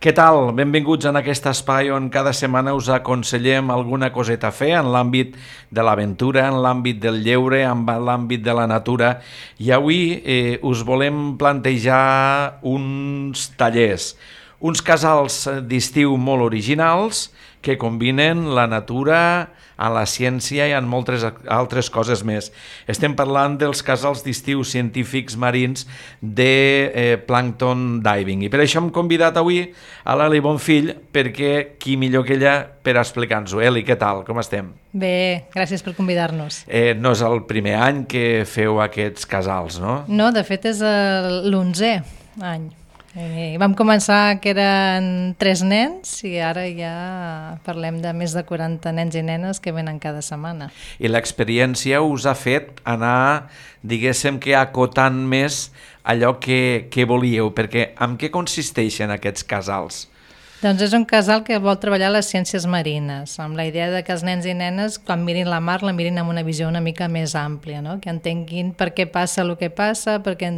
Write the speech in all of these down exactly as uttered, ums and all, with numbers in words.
Què tal? Benvinguts en aquest espai on cada setmana us aconsellem alguna coseta a fer en l'àmbit de l'aventura, en l'àmbit del lleure, en l'àmbit de la natura. I avui eh, us volem plantejar uns tallers, uns casals d'estiu molt originals que combinen la natura amb la ciència i amb moltes altres coses més. Estem parlant dels casals d'estiu científics marins de eh, Plankton Diving. I per això hem convidat avui a l'Eli Bonfill, perquè qui millor que ella per explicar-nos-ho. Eli, què tal? Com estem? Bé, gràcies per convidar-nos. Eh, no és el primer any que feu aquests casals, no? No, de fet és l'onzè any. Eh, vam començar que eren tres nens i ara ja parlem de més de quaranta nens i nenes que venen cada setmana. I l'experiència us ha fet anar, diguéssim, que acotant més allò que, que volíeu, perquè en què consisteixen aquests casals? Doncs és un casal que vol treballar les ciències marines, amb la idea de que els nens i nenes, quan mirin la mar, la mirin amb una visió una mica més àmplia, no? Que entenguin per què passa el que passa, perquè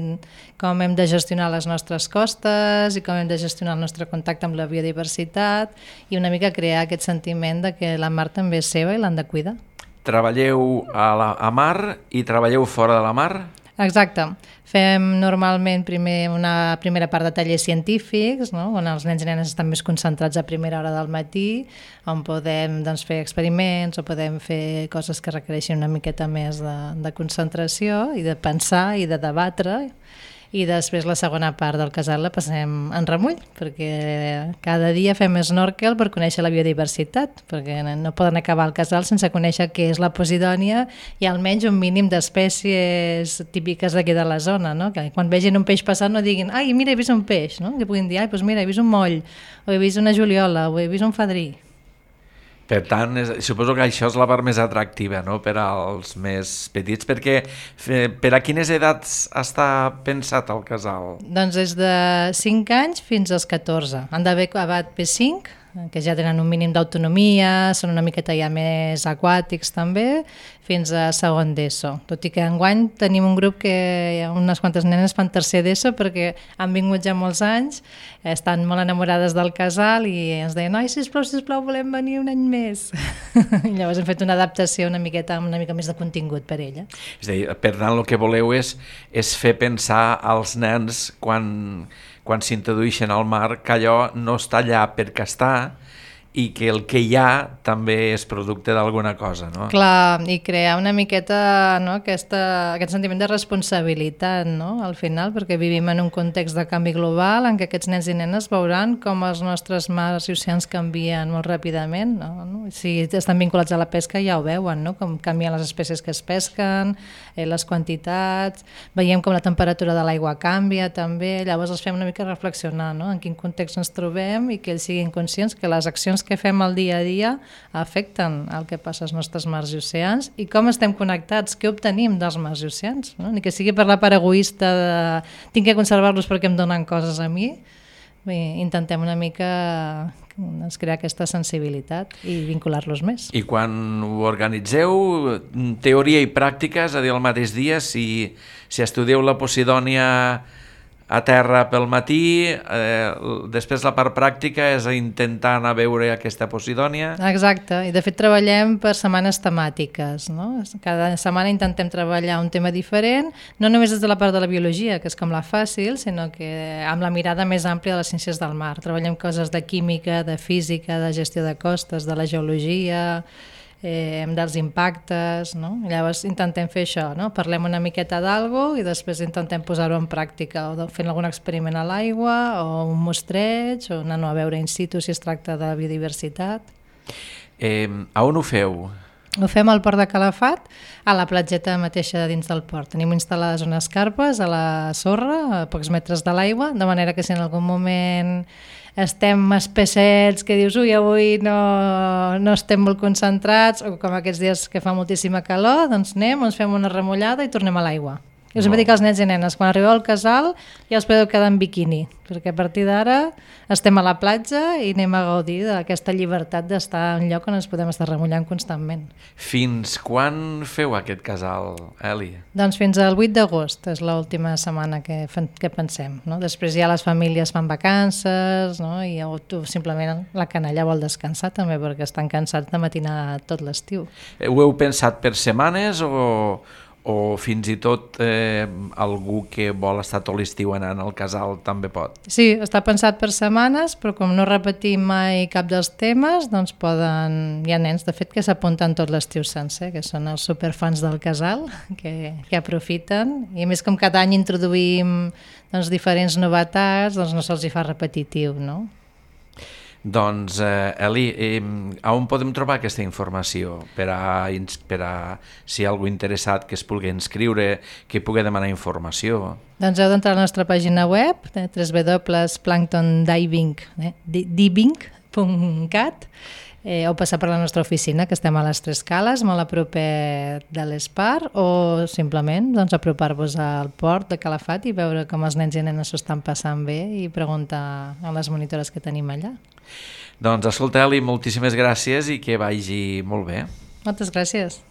com hem de gestionar les nostres costes i com hem de gestionar el nostre contacte amb la biodiversitat i una mica crear aquest sentiment de que la mar també és seva i l'han de cuidar. Treballeu a la a mar i treballeu fora de la mar? Exacte. Fem normalment primer una primera part de tallers científics, no? On els nens i nenes estan més concentrats a primera hora del matí, on podem doncs, fer experiments o podem fer coses que requereixin una miqueta més de, de concentració i de pensar i de debatre. I després la segona part del casal la passem en remull, perquè cada dia fem snorkel per conèixer la biodiversitat, perquè no poden acabar el casal sense conèixer què és la posidònia i almenys un mínim d'espècies típiques d'aquí de la zona, no? Que quan vegin un peix passar no diguin «Ai, mira, he vist un peix», no? Que puguin dir «Ai, doncs mira, he vist un moll», o «he vist una juliola», o «he vist un fadrí». Per tant, és, suposo que això és la part més atractiva, no?, per als més petits, perquè per a quines edats està pensat el casal? Doncs des de cinc anys fins als catorze. Han d'haver acabat P cinc, que ja tenen un mínim d'autonomia, són una miqueta ja més aquàtics també, fins a segon d'ESO. Tot i que enguany tenim un grup que hi ha unes quantes nenes fan tercer d'ESO perquè han vingut ja molts anys, estan molt enamorades del casal i ens deien «Ai, sisplau, sisplau, volem venir un any més». I llavors hem fet una adaptació una miqueta amb una mica més de contingut per ella. És a dir, per tant, el que voleu és, és fer pensar als nens quan... quan s'introdueixen al mar, que allò no està allà perquè està i que el que hi ha també és producte d'alguna cosa, no? Clar, i crear una miqueta, no, aquesta, aquest sentiment de responsabilitat, no?, al final, perquè vivim en un context de canvi global en què aquests nens i nenes veuran com els nostres mars i oceans canvien molt ràpidament, no? Si estan vinculats a la pesca ja ho veuen, no?, com canvien les espècies que es pesquen, eh, les quantitats, veiem com la temperatura de l'aigua canvia també, llavors els fem una mica reflexionar, no?, en quin context ens trobem i que ells siguin conscients que les accions que fem el dia a dia afecten el que passa als nostres mars i oceans i com estem connectats, què obtenim dels mars i oceans, no? Ni que sigui per la part egoista de tinc que conservar-los perquè em donen coses a mi. Bé, intentem una mica doncs, crear aquesta sensibilitat i vincular-los més. I quan ho organitzeu, teoria i pràctica, és a dir, el mateix dia, si, si estudieu la posidònia a terra pel matí, eh, després la part pràctica és intentar anar a veure aquesta posidònia. Exacte, i de fet treballem per setmanes temàtiques, no? Cada setmana intentem treballar un tema diferent, no només des de la part de la biologia, que és com la fàcil, sinó que amb la mirada més àmplia de les ciències del mar. Treballem coses de química, de física, de gestió de costes, de la geologia, Eh, dels impactes, no? I llavors intentem fer això, no? Parlem una miqueta d'algo i després intentem posar-ho en pràctica, o fent algun experiment a l'aigua, o un mostreig, o anar a veure in situ si es tracta de biodiversitat. Eh, a on ho feu? Ho fem al port de Calafat, a la platgeta mateixa dins del port. Tenim instal·lades unes carpes a la sorra, a pocs metres de l'aigua, de manera que si en algun moment estem espessets, que dius, ui, avui no, no estem molt concentrats, o com aquests dies que fa moltíssima calor, doncs anem, ens fem una remullada i tornem a l'aigua. I us hem dit als nens i nenes, quan arribeu al casal ja us podeu quedar en biquini, perquè a partir d'ara estem a la platja i anem a gaudir d'aquesta llibertat d'estar en un lloc on ens podem estar remullant constantment. Fins quan feu aquest casal, Eli? Doncs fins al vuit d'agost és l'última setmana que, que pensem. No? Després ja les famílies fan vacances, no? I tu, simplement la canalla vol descansar també perquè estan cansats de matinar tot l'estiu. Ho heu pensat per setmanes o... o fins i tot eh, algú que vol estar tot l'estiu anant al casal també pot? Sí, està pensat per setmanes, però com no repetim mai cap dels temes, doncs poden... Hi ha nens, de fet, que s'apunten tot l'estiu sencer, que són els superfans del casal, que, que aprofiten, i a més com cada any introduïm doncs, diferents novetats, doncs no se'ls hi fa repetitiu, no? Doncs, eh, Eli, eh, on podem trobar aquesta informació per a, per a si hi ha algú interessat que es pugui inscriure, que pugui demanar informació? Doncs heu d'entrar a la nostra pàgina web, eh, w w w punt planktondiving punt cat, eh, o passar per la nostra oficina, que estem a les Tres Cales, molt a proper de l'Espar, o simplement doncs, apropar-vos al port de Calafat i veure com els nens i nenes s'ho estan passant bé i preguntar a les monitores que tenim allà. Doncs escolta, Eli, moltíssimes gràcies i que vagi molt bé. Moltes gràcies.